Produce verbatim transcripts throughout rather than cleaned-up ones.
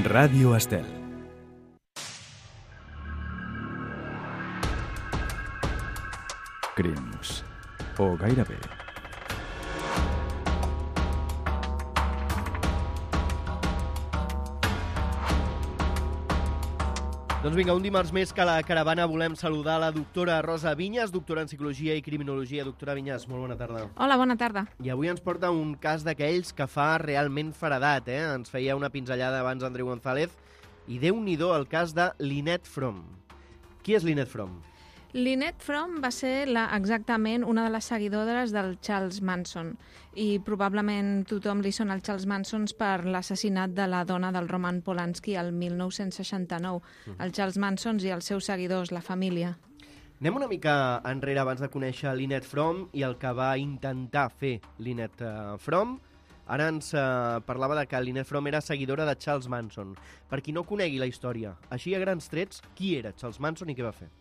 Ràdio Estel. Crims. O gairebé. Doncs vinga, un dimarts més que a la caravana volem saludar la doctora Rosa Vinyes, doctora en Psicologia i Criminologia. Doctora Vinyes, molt bona tarda. Hola, bona tarda. I avui ens porta un cas d'aquells que fa realment feredat, eh? Ens feia una pinzellada abans Andreu González. I déu-n'hi-do el cas de Lynette Fromm. Qui és Lynette Fromm? Lynette Fromm va ser la, exactament una de les seguidores del Charles Manson i probablement tothom li sona el Charles Manson per l'assassinat de la dona del Roman Polanski el mil nou-cents seixanta-nou. Mm. El Charles Manson i els seus seguidors, la família. Anem una mica enrere abans de conèixer Lynette Fromm i el que va intentar fer Lynette uh, Fromm. Ara ens uh, parlava de que Lynette Fromm era seguidora de Charles Manson. Per qui no conegui la història, així a grans trets, qui era Charles Manson i què va fer?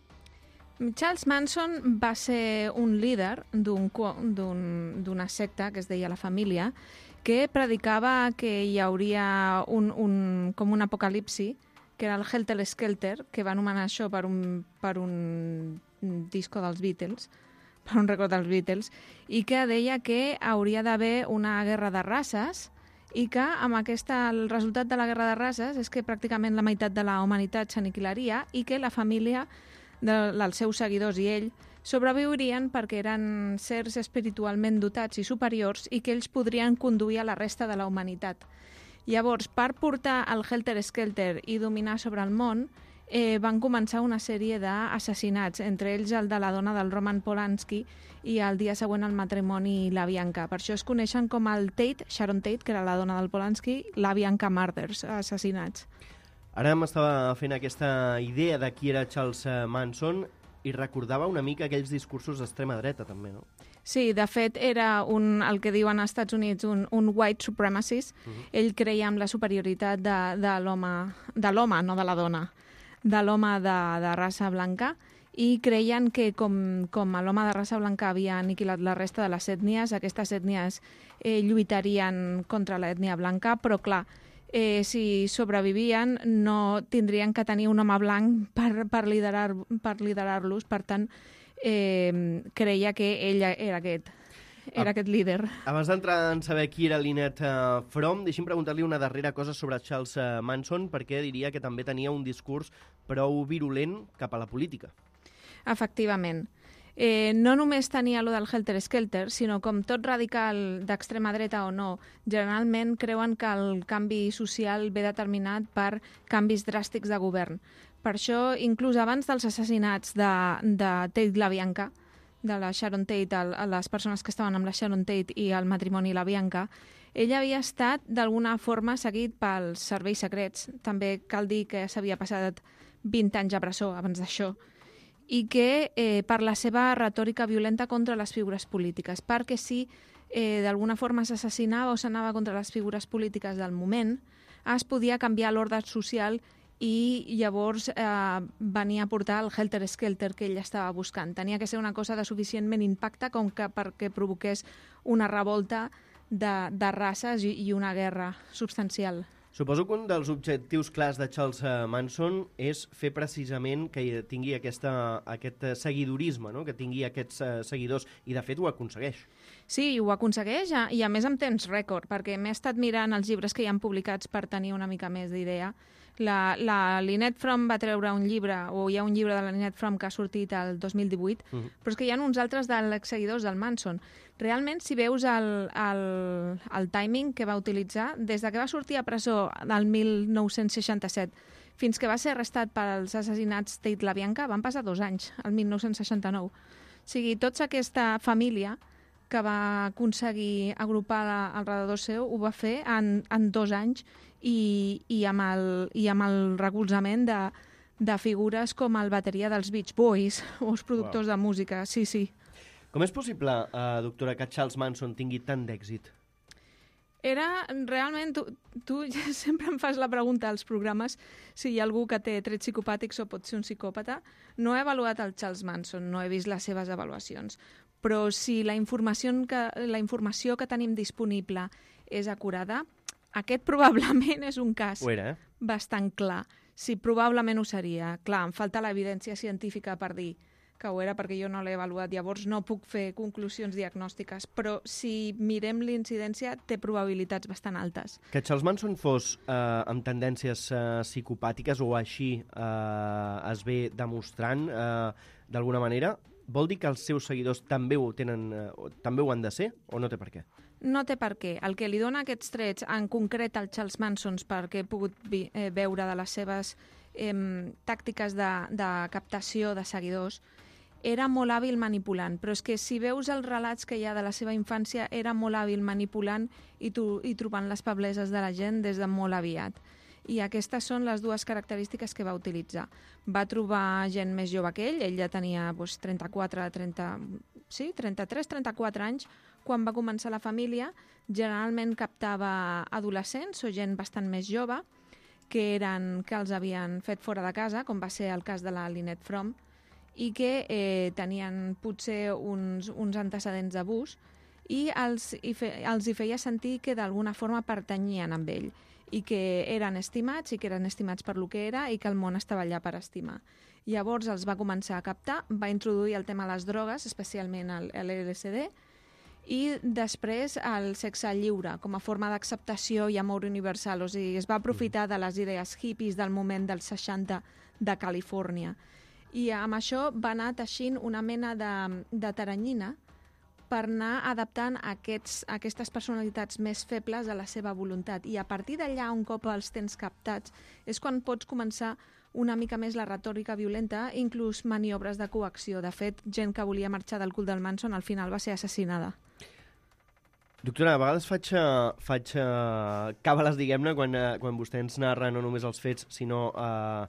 Charles Manson va ser un líder d'una secta que es deia La Família, que predicava que hi hauria un, un, com un apocalipsi, que era el Helter Skelter, que va anomenar això per un, per un disco dels Beatles, per un record dels Beatles, i que deia que hauria d'haver una guerra de races i que amb aquesta, el resultat de la guerra de races és que pràcticament la meitat de la humanitat s'aniquilaria i que la família dels seus seguidors i ell sobreviurien perquè eren sers espiritualment dotats i superiors i que ells podrien conduir a la resta de la humanitat. Llavors, per portar el Helter Skelter i dominar sobre el món, eh, van començar una sèrie d'assassinats, entre ells el de la dona del Roman Polanski i el dia següent el matrimoni i la Bianca. Per això es coneixen com el Tate, Sharon Tate, que era la dona del Polanski, la Bianca Murders, assassinats. Ara m'estava fent aquesta idea de qui era Charles Manson i recordava una mica aquells discursos d'extrema dreta, també, no? Sí, de fet, era un, el que diuen als Estats Units un, un white supremacist. Uh-huh. Ell creia en la superioritat de, de l'home, de l'home, no de la dona, de l'home de, de raça blanca, i creien que com, com l'home de raça blanca havia aniquilat la resta de les ètnies, aquestes ètnies eh, lluitarien contra l'ètnia blanca, però clar, Eh, si sobrevivien no tindrien que tenir un home blanc per, per liderar, per liderar-los, per tant eh, creia que ell era aquest, era ah, aquest líder. Abans d'entrar en saber qui era Lynette uh, Fromm, deixi'm preguntar-li una darrera cosa sobre Charles uh, Manson, perquè diria que també tenia un discurs prou virulent cap a la política. Efectivament. Eh, no només tenia allò del Helter Skelter, sinó com tot radical d'extrema dreta o no, generalment creuen que el canvi social ve determinat per canvis dràstics de govern. Per això, inclús abans dels assassinats de, de Tate la Bianca, de la Sharon Tate, el, les persones que estaven amb la Sharon Tate i el matrimoni la Bianca, ell havia estat d'alguna forma seguit pels serveis secrets. També cal dir que s'havia passat vint anys a presó abans d'això, i que eh, per la seva retòrica violenta contra les figures polítiques, perquè si eh, d'alguna forma s'assassinava o s'anava contra les figures polítiques del moment, es podia canviar l'ordre social i llavors eh, venia a portar el Helter Skelter que ell estava buscant. Tenia que ser una cosa de suficientment impacte com que perquè provoqués una revolta de, de races i, i una guerra substancial. Suposo que un dels objectius clars de Charles Manson és fer precisament que tingui aquesta, aquest seguidorisme, no? Que tingui aquests uh, seguidors, i de fet ho aconsegueix. Sí, ho aconsegueix, i a més en temps rècord, perquè m'he estat mirant els llibres que hi han publicats per tenir una mica més d'idea. La, la Lynette Fromm va treure un llibre, o hi ha un llibre de la Lynette Fromm que ha sortit el dos mil divuit, uh-huh. però és que hi ha uns altres dels seguidors del Manson. Realment, si veus el, el, el timing que va utilitzar, des de que va sortir a presó del mil nou-cents seixanta-set fins que va ser arrestat pels assassinats Tate la Bianca, van passar dos anys, el mil nou-cents seixanta-nou. O sigui, tota aquesta família que va aconseguir agrupar al redador seu ho va fer en, en dos anys i, i, amb el, i amb el recolzament de, de figures com el bateria dels Beach Boys o els productors wow. de música. Sí, sí. Com és possible, uh, doctora, que Charles Manson tingui tant d'èxit? Era realment... Tu, tu sempre em fas la pregunta als programes si hi ha algú que té trets psicopàtics o pot ser un psicòpata. No he avaluat el Charles Manson, no he vist les seves avaluacions, però si la informació que, la informació que tenim disponible és acurada, aquest probablement és un cas. Ho era, eh? bastant clar. Sí, probablement ho seria. Clar, em falta l'evidència científica per dir que ho era, perquè jo no l'he avaluat, llavors no puc fer conclusions diagnòstiques, però si mirem l'incidència té probabilitats bastant altes. Que Charles Manson fos eh, amb tendències eh, psicopàtiques o així eh, es ve demostrant eh, d'alguna manera, vol dir que els seus seguidors també ho tenen, eh, també ho han de ser o no té per què? No té per què. El que li dona aquests trets, en concret al Charles Manson, perquè he pogut vi, eh, veure de les seves eh, tàctiques de, de captació de seguidors, era molt hàbil manipulant, però és que si veus els relats que hi ha de la seva infància, era molt hàbil manipulant i, tu, i trobant les febleses de la gent des de molt aviat. I aquestes són les dues característiques que va utilitzar. Va trobar gent més jove que ell, ell ja tenia doncs, trenta-quatre, trenta, sí, trenta-tres, trenta-quatre anys, quan va començar la família. Generalment captava adolescents o gent bastant més jove, que, eren, que els havien fet fora de casa, com va ser el cas de la Lynette Fromm, i que eh, tenien potser uns, uns antecedents d'abús i els, i fe, els hi feia sentir que d'alguna forma pertanyien amb ell i que eren estimats i que eren estimats per lo que era i que el món estava allà per estimar. Llavors els va començar a captar, va introduir el tema de les drogues, especialment l'L S D, i després el sexe lliure com a forma d'acceptació i amor universal. O sigui, es va aprofitar de les idees hippies del moment dels seixanta de Califòrnia. I amb això va anar teixint una mena de, de taranyina per anar adaptant aquests, aquestes personalitats més febles a la seva voluntat. I a partir d'allà, un cop els tens captats, és quan pots començar una mica més la retòrica violenta, inclús maniobres de coacció. De fet, gent que volia marxar del cult del Manson al final va ser assassinada. Doctora, a vegades faig, faig uh, càbales, diguem-ne, quan, uh, quan vostè ens narra no només els fets, sinó uh,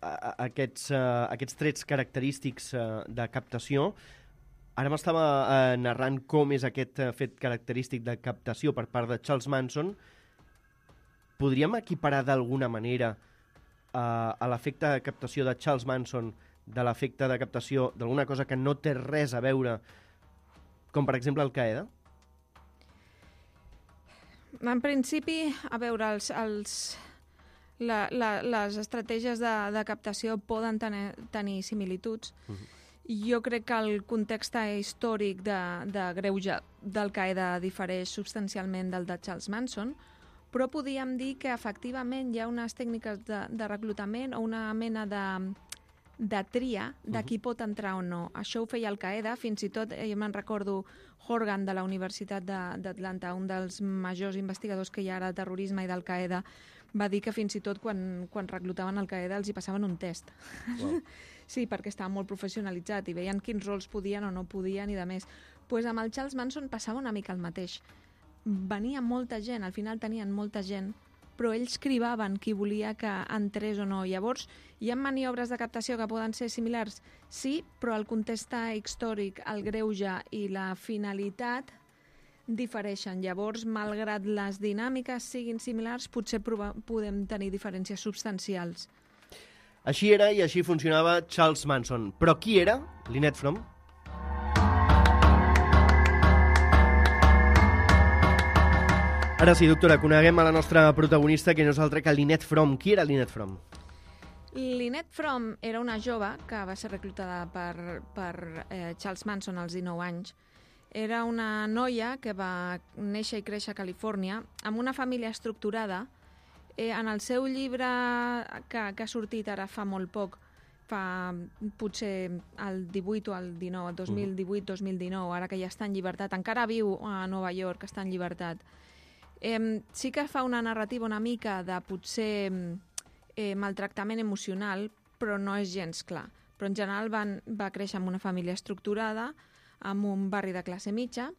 aquests, uh, aquests trets característics uh, de captació. Ara m'estava uh, narrant com és aquest uh, fet característic de captació per part de Charles Manson. Podríem equiparar d'alguna manera uh, a l'efecte de captació de Charles Manson de l'efecte de captació d'alguna cosa que no té res a veure, com per exemple Al-Qaeda? En principi, a veure, els, els, la, la, les estratègies de, de captació poden tenir, tenir similituds. Uh-huh. Jo crec que el context històric de, de greuge d'Al-Qaeda difereix substancialment del de Charles Manson, però podríem dir que efectivament hi ha unes tècniques de, de reclutament o una mena de, de tria de qui pot entrar o no. Això ho feia Al-Qaeda, fins i tot, jo me'n recordo, Horgan de la Universitat d'Atlanta, un dels majors investigadors que hi ha ara de terrorisme i d'Al-Qaeda, va dir que fins i tot quan, quan reclutaven Al-Qaeda els hi passaven un test. Wow. Sí, perquè estava molt professionalitzat i veien quins rols podien o no podien i de més. Pues amb el Charles Manson passava una mica el mateix. Venia molta gent, al final tenien molta gent, però ells cribaven qui volia que entrés o no. Llavors, hi ha maniobres de captació que poden ser similars? Sí, però el context històric, el greuge i la finalitat difereixen. Llavors, malgrat les dinàmiques siguin similars, potser podem tenir diferències substancials. Així era i així funcionava Charles Manson. Però qui era Lynette Fromm? Ara sí, doctora, coneguem a la nostra protagonista, que no és altra que Lynette Fromm. Qui era Lynette Fromm? Lynette Fromm era una jove que va ser reclutada per, per eh, Charles Manson als dinou anys. Era una noia que va néixer i créixer a Califòrnia amb una família estructurada. Eh, en el seu llibre que, que ha sortit ara fa molt poc, fa potser el divuit o el dinou, dos mil divuit dos mil dinou, ara que ja està en llibertat, encara viu a Nova York, està en llibertat. Eh, sí que fa una narrativa una mica de potser eh, maltractament emocional, però no és gens clar. Però en general van, va créixer en una família estructurada, en un barri de classe mitja,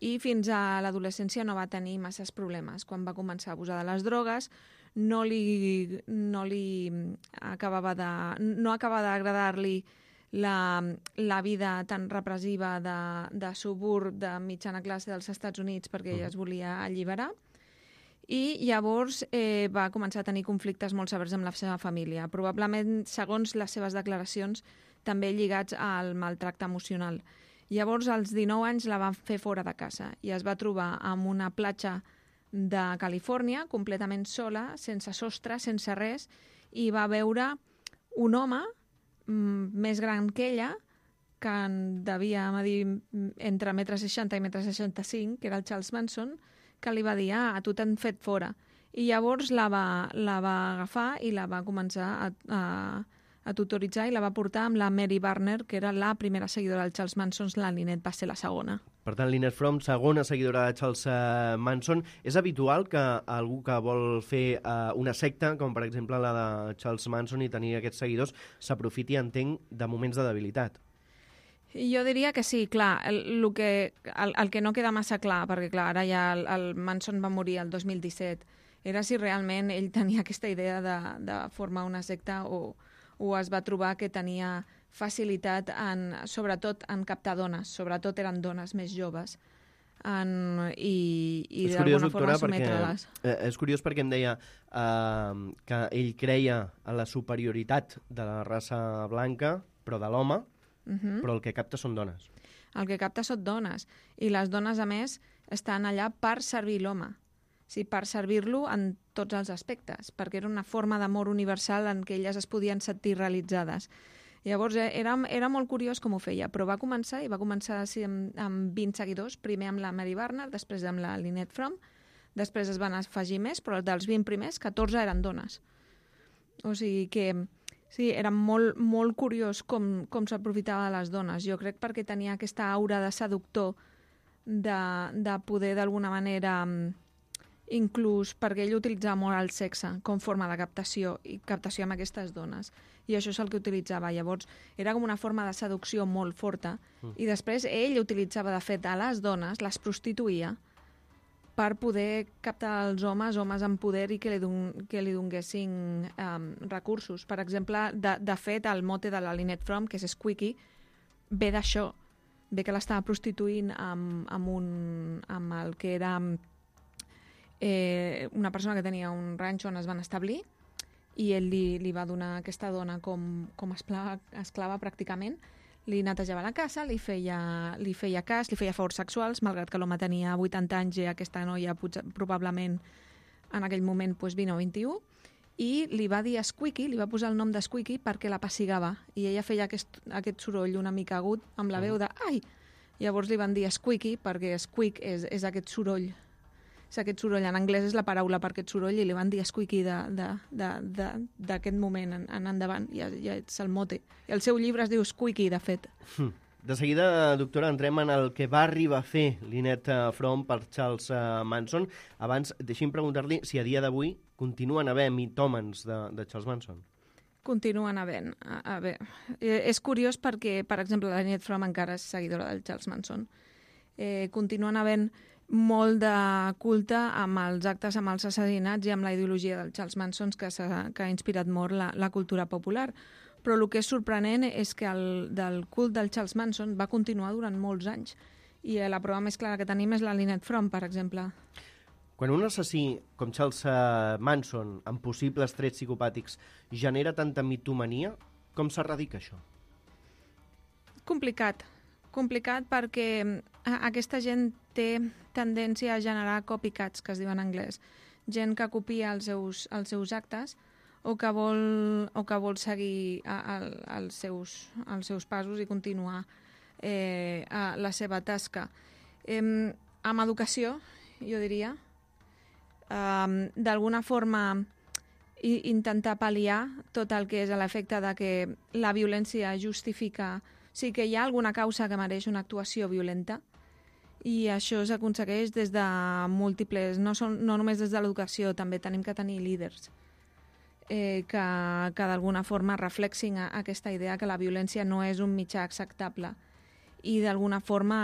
i fins a l'adolescència no va tenir masses problemes. Quan va començar a abusar de les drogues, no li, no li acabava de, no acabava d'agradar-li la, la vida tan repressiva de, de suburb de mitjana classe dels Estats Units, perquè ella es volia alliberar. I llavors eh, va començar a tenir conflictes molt severs amb la seva família, probablement, segons les seves declaracions, també lligats al maltracte emocional. Llavors, als dinou anys, la van fer fora de casa i es va trobar amb una platja de Califòrnia, completament sola, sense sostre, sense res, i va veure un home mm, més gran que ella, que en devia medir entre metre seixanta i metre seixanta-cinc, que era el Charles Manson, que li va dir, ah, a tu t'han fet fora. I llavors la va, la va agafar i la va començar a, a, a tutoritzar i la va portar amb la Mary Barner, que era la primera seguidora del Charles Manson, la Lynette va ser la segona. Per tant, Lynette Fromm, segona seguidora de Charles uh, Manson. És habitual que algú que vol fer uh, una secta, com per exemple la de Charles Manson, i tenir aquests seguidors, s'aprofiti, entenc, de moments de debilitat? Jo diria que sí, clar, el, el, que, el, el que no queda massa clar, perquè clar, ara ja el, el Manson va morir el dos mil disset, era si realment ell tenia aquesta idea de, de formar una secta o, o es va trobar que tenia facilitat, en, sobretot en captar dones, sobretot eren dones més joves, en, i, i d'alguna forma sometre-les. Eh, és curiós perquè em deia eh, que ell creia en la superioritat de la raça blanca, però de l'home, Uh-huh. però el que capta són dones. El que capta són dones. I les dones, a més, estan allà per servir l'home. O sigui, per servir-lo en tots els aspectes, perquè era una forma d'amor universal en què elles es podien sentir realitzades. Llavors, eh, era, era molt curiós com ho feia, però va començar, i va començar sí, amb, amb vint seguidors, primer amb la Mary Barner, després amb la Lynette Fromm, després es van afegir més, però dels vint primers, catorze eren dones. O sigui que... Sí, era molt, molt curiós com, com s'aprofitava de les dones. Jo crec perquè tenia aquesta aura de seductor, de, de poder d'alguna manera, inclús perquè ell utilitzava molt el sexe com forma de captació, i captació amb aquestes dones. I això és el que utilitzava. Llavors, era com una forma de seducció molt forta. Mm. I després ell utilitzava, de fet, a les dones, les prostituïa, per poder captar els homes, homes en poder i que li, don, que li donguessin um, recursos. Per exemple, de, de fet, el mote de la Lynette Fromm, que és Squeaky, ve d'això. Ve que l'estava prostituint amb, amb, un, amb el que era eh, una persona que tenia un ranxo on es van establir, i ell li, li va donar aquesta dona com, com esclava, esclava pràcticament. Li netejava la casa, li feia, li feia cas, li feia favors sexuals, malgrat que l'home tenia vuitanta anys i aquesta noia potser, probablement en aquell moment pues, vint o vint-i-u, i li va dir Squeaky, li va posar el nom de Squeaky perquè la pessigava, i ella feia aquest, aquest soroll una mica agut amb la veu de ai! Llavors li van dir Squeaky perquè squeak és, és aquest soroll. És aquest soroll. En anglès és la paraula per aquest soroll i li van dir Squeaky d'aquest moment en, en endavant. Ja, ja és el mote. El seu llibre es diu Squeaky, de fet. De seguida, doctora, entrem en el que va arribar a fer Lynette Fromm per Charles Manson. Abans, deixi'm preguntar-li si a dia d'avui continuen havent mitòmens de, de Charles Manson. Continuen havent. A, a veure, és curiós perquè, per exemple, la Lynette Fromm encara és seguidora del Charles Manson. Eh, continuen havent molt de culte amb els actes, amb els assassinats i amb la ideologia del Charles Manson que, que ha inspirat molt la, la cultura popular. Però el que és sorprenent és que el del cult del Charles Manson va continuar durant molts anys. I la prova més clara que tenim és la Lynette Fromm, per exemple. Quan un assassí com Charles Manson, amb possibles trets psicopàtics, genera tanta mitomania, com s'erradica això? Complicat. Complicat perquè aquesta gent té tendència a generar copycats, que es diu en anglès. Gent que copia els seus, els seus actes o que vol, o que vol seguir a, a, els, seus, els seus passos i continuar eh, a la seva tasca. Eh, amb educació, jo diria, eh, d'alguna forma i, intentar pal·liar tot el que és l'efecte de que la violència justifica. Sí que hi ha alguna causa que mereix una actuació violenta i això s'aconsegueix des de múltiples, no, són, no només des de l'educació, també tenim que tenir líders eh, que, que d'alguna forma reflexin a, a aquesta idea que la violència no és un mitjà acceptable i d'alguna forma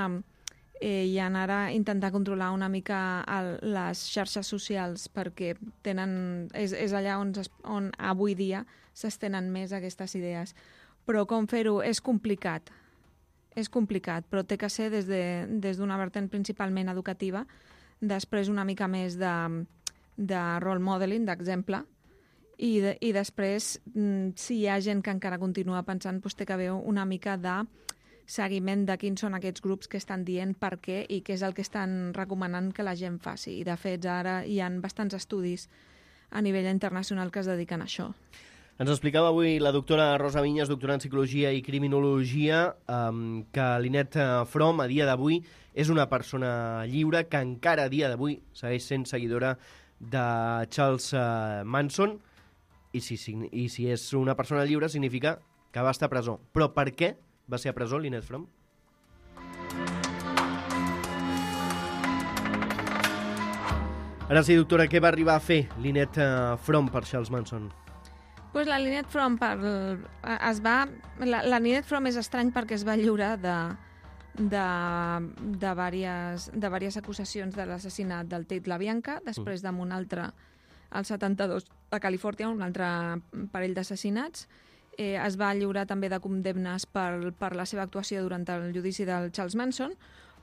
eh, i anar a intentar controlar una mica el, les xarxes socials perquè tenen, és, és allà on, es, on avui dia s'estenen més aquestes idees. Però com fer-ho és complicat. És complicat, però té que ser des de, des d'una vertent principalment educativa, després una mica més de, de role modeling, d'exemple, i, de, i després, si hi ha gent que encara continua pensant, doncs té que haver una mica de seguiment de quins són aquests grups que estan dient per què i què és el que estan recomanant que la gent faci. I, de fet, ara hi ha bastants estudis a nivell internacional que es dediquen a això. Ens explicava avui la doctora Rosa Vinyes, doctora en Psicologia i Criminologia, um, que Lynette Fromm, a dia d'avui, és una persona lliure que encara a dia d'avui segueix sent seguidora de Charles uh, Manson, i si, i si és una persona lliure significa que va estar a presó. Però per què va ser a presó Lynette Fromm? Ara sí, doctora, què va arribar a fer Lynette Fromm per Charles Manson? Pues la Lynette Fromm per, es va, la, la Lynette Fromm és estrany perquè es va lliurar de, de, de, diverses, de diverses acusacions de l'assassinat del Tate LaBianca, després mm. d'un altre, al setanta-dos, a Califòrnia, un altre parell d'assassinats. Eh, es va lliurar també de condemnes per, per la seva actuació durant el judici del Charles Manson,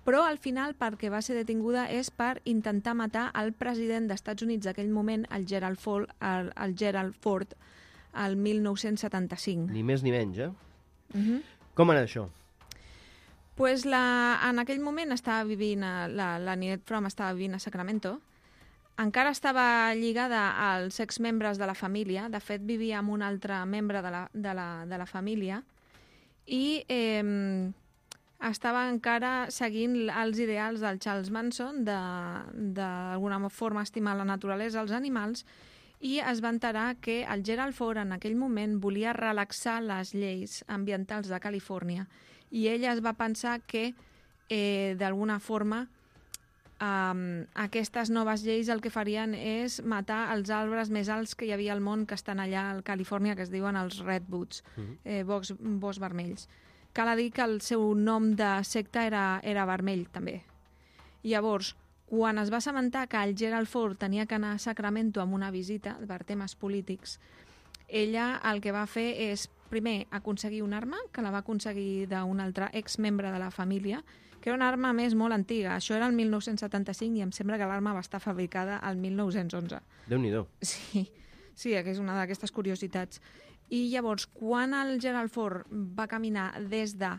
però al final perquè va ser detinguda és per intentar matar el president dels Estats Units d'aquell moment, el Gerald Ford, el, el Gerald Ford, el mil nou-cents setanta-cinc. Ni més ni menys, eh? Uh-huh. Com era això? Pues la, en aquell moment estava vivint, a, la, la Lynette Fromm estava vivint a Sacramento, encara estava lligada als exmembres de la família, de fet vivia amb un altre membre de la, de la, de la família, i eh, estava encara seguint els ideals del Charles Manson, d'alguna forma estimar la naturalesa, els animals, i es va enterar que el Gerald Ford en aquell moment volia relaxar les lleis ambientals de Califòrnia i ella es va pensar que eh, d'alguna forma um, aquestes noves lleis el que farien és matar els arbres més alts que hi havia al món que estan allà a Califòrnia, que es diuen els Redwoods, eh, boscs, boscs vermells. Cal dir que el seu nom de secta era, era vermell també. Llavors, quan es va assabentar que el Gerald Ford tenia que anar a Sacramento amb una visita per temes polítics, ella el que va fer és, primer, aconseguir una arma, que la va aconseguir d'un altre exmembre de la família, que era una arma més molt antiga. Això era el mil nou-cents setanta-cinc i em sembla que l'arma va estar fabricada al mil nou-cents onze. Déu-n'hi-do. Sí, sí, que és una d'aquestes curiositats. I llavors, quan el Gerald Ford va caminar des de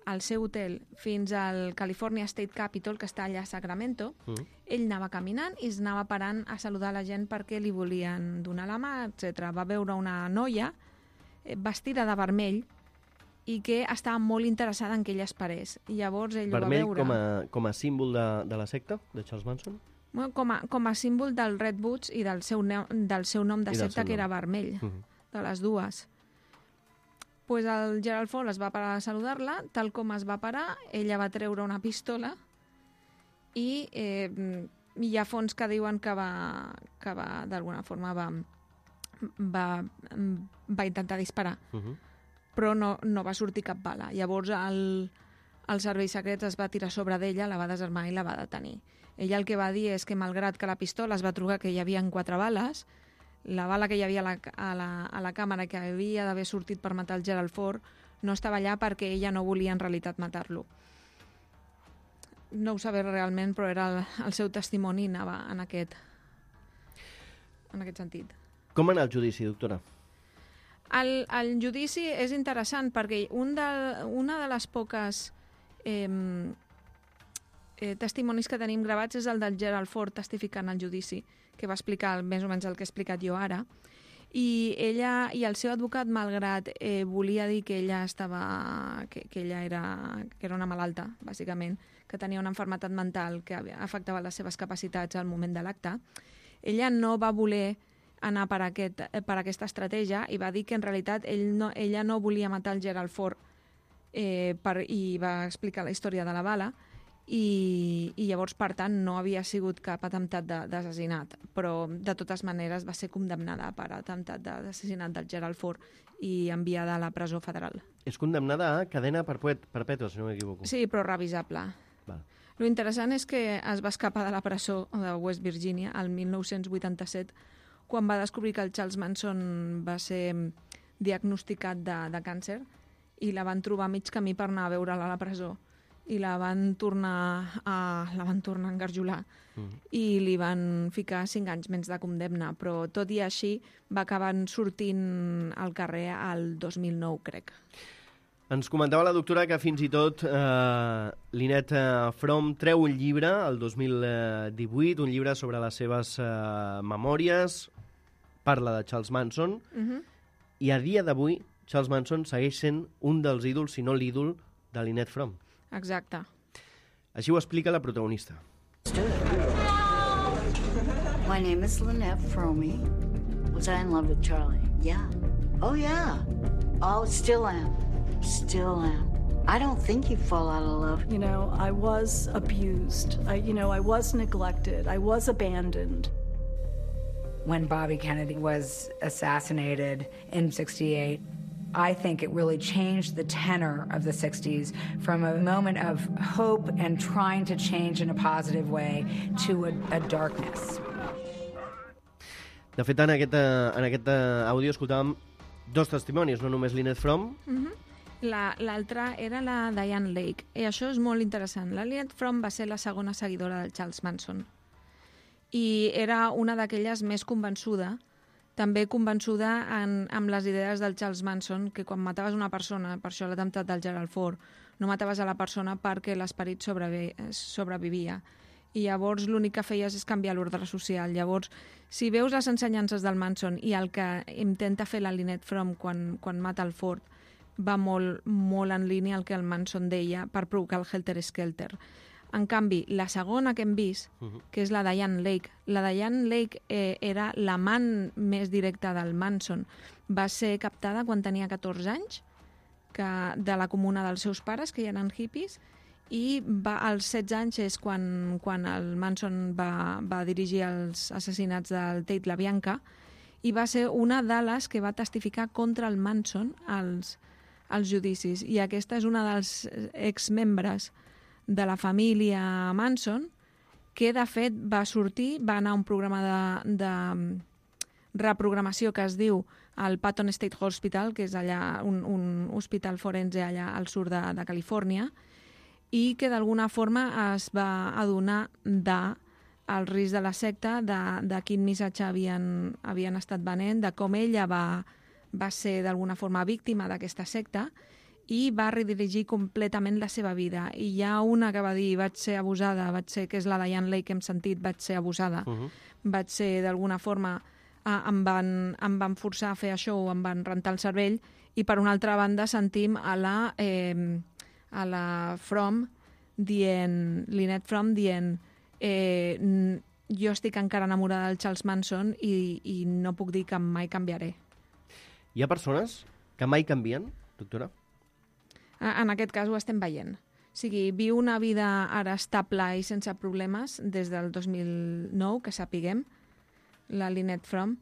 al seu hotel fins al California State Capitol, que està allà a Sacramento, mm. ell anava caminant i es anava parant a saludar la gent perquè li volien donar la mà, etcètera. Va veure una noia vestida de vermell i que estava molt interessada en que ell es parés. I llavors ell vermell ho va veure. Com a, com a símbol de, de la secta, de Charles Manson? Bueno, com, a, com a símbol del Redwoods i del seu, ne del seu nom de I secta, que nom. era vermell, mm -hmm. de les dues. Pues el Gerald Ford es va parar a saludar-la, tal com es va parar, ella va treure una pistola i eh, hi ha fonts que diuen que va, que va d'alguna forma va, va, va intentar disparar, uh -huh. però no, no va sortir cap bala. Llavors el, el servei secret es va tirar sobre d'ella, la va desarmar i la va detenir. Ella el que va dir és que malgrat que la pistola es va trobar que hi havia quatre bales, la bala que hi havia a la, a la, a la càmera que havia d'haver sortit per matar el Gerald Ford no estava allà perquè ella no volia en realitat matar-lo. No ho sabia realment, però era el, el seu testimoni anava en aquest, en aquest sentit. Com va anar el judici, doctora? El, el judici és interessant perquè un de, una de les poques eh, eh, testimonis que tenim gravats és el del Gerald Ford testificant al judici, que va explicar més o menys el que he explicat jo ara, i ella i el seu advocat, malgrat eh, volia dir que ella estava que, que ella era, que era una malalta, bàsicament, que tenia una malaltia mental que afectava les seves capacitats al moment de l'acte, ella no va voler anar per, aquest, per aquesta estratègia i va dir que en realitat ell no, ella no volia matar el Gerald Ford eh, per, i va explicar la història de la bala, I, i llavors, per tant, no havia sigut cap atemptat d'assassinat, però de totes maneres va ser condemnada per atemptat d'assassinat del Gerald Ford i enviada a la presó federal. És condemnada a cadena perpètua, si no m'equivoco. Sí, però revisable. Val. Lo interessant és que es va escapar de la presó de West Virginia el mil nou-cents vuitanta-set, quan va descobrir que el Charles Manson va ser diagnosticat de, de càncer i la van trobar a mig camí per anar a veure-la a la presó. I la van tornar a, la van tornar a engarjolar mm. i li van ficar cinc anys menys de condemna, però tot i així va acabar sortint al carrer al dos mil nou, crec. Ens comentava la doctora que fins i tot eh, Lynette eh, Fromm treu un llibre el dos mil divuit, un llibre sobre les seves eh, memòries, parla de Charles Manson, Uh-huh. i a dia d'avui Charles Manson segueix sent un dels ídols, si no l'ídol, de Lynette Fromm. Exacte. Així ho explica la protagonista. My name is Lynette Fromme. Was I in love with Charlie? Yeah. Oh, yeah. Oh, still am. Still am. I don't think you fall out of love. You know, I was abused. I, you know, I was neglected. I was abandoned. When Bobby Kennedy was assassinated in sixty-eight, I think it really changed the tenor of the sixties from a moment of hope and trying to change in a positive way to a, a darkness. De fet, en aquest, eh, en aquest eh, àudio escoltàvem dos testimonis, no només Lynette Fromm. Uh-huh. L'altra era la Diane Lake. I això és molt interessant. La Lynette Fromm va ser la segona seguidora del Charles Manson. I era una d'aquelles més convençuda, també convençuda en, amb les idees del Charles Manson, que quan mataves una persona, per això l'atemptat del Gerald Ford, no mataves a la persona perquè l'esperit sobrevi sobrevivia. I llavors l'únic que feies és canviar l'ordre social. Llavors, si veus les ensenyances del Manson i el que intenta fer la Lynette Fromm quan, quan mata el Ford, va molt, molt en línia el que el Manson deia per provocar el helter-skelter. En canvi, la segona que hem vist, que és la Diane Lake, la Diane Lake eh, era l'amant més directa del Manson. Va ser captada quan tenia catorze anys, que, de la comuna dels seus pares, que hi eren hippies, i va, als setze anys és quan, quan el Manson va, va dirigir els assassinats del Tate LaBianca, i va ser una de les que va testificar contra el Manson als, als judicis. I aquesta és una dels exmembres de la família Manson, que de fet va sortir, va anar a un programa de, de reprogramació que es diu el Patton State Hospital, que és allà un, un hospital forense allà al sud de, de Califòrnia, i que d'alguna forma es va adonar del risc de la secta, de, de quin missatge havien, havien estat venent, de com ella va, va ser d'alguna forma víctima d'aquesta secta, i va redirigir completament la seva vida. I hi ha una que va dir, vaig ser abusada, vaig ser, que és la Diane Lake que hem sentit, vaig ser abusada, uh-huh. vaig ser d'alguna forma, eh, em, van, em van forçar a fer això, o em van rentar el cervell, i per una altra banda sentim a la, eh, a la Fromm dient, Lynette Fromm dient, eh, jo estic encara enamorada del Charles Manson i, i no puc dir que mai canviaré. Hi ha persones que mai canvien, doctora? En aquest cas ho estem veient. O sigui, viu una vida ara estable i sense problemes des del dos mil nou, que sapiguem, la Lynette Fromm,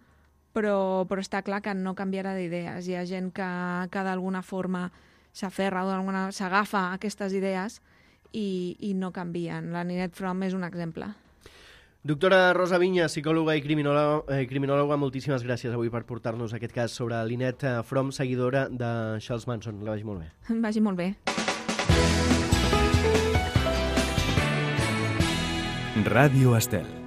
però, però està clar que no canviarà d'idees. Hi ha gent que, que d'alguna forma s'aferra o d'alguna s'agafa a aquestes idees i, i no canvien. La Lynette Fromm és un exemple. Doctora Rosa Viña, psicòloga i criminòloga, eh, criminòloga, moltíssimes gràcies avui per portar-nos aquest cas sobre Lynette Fromm, seguidora de Charles Manson. Que vagi molt bé. Vagi molt bé. Ràdio Estel.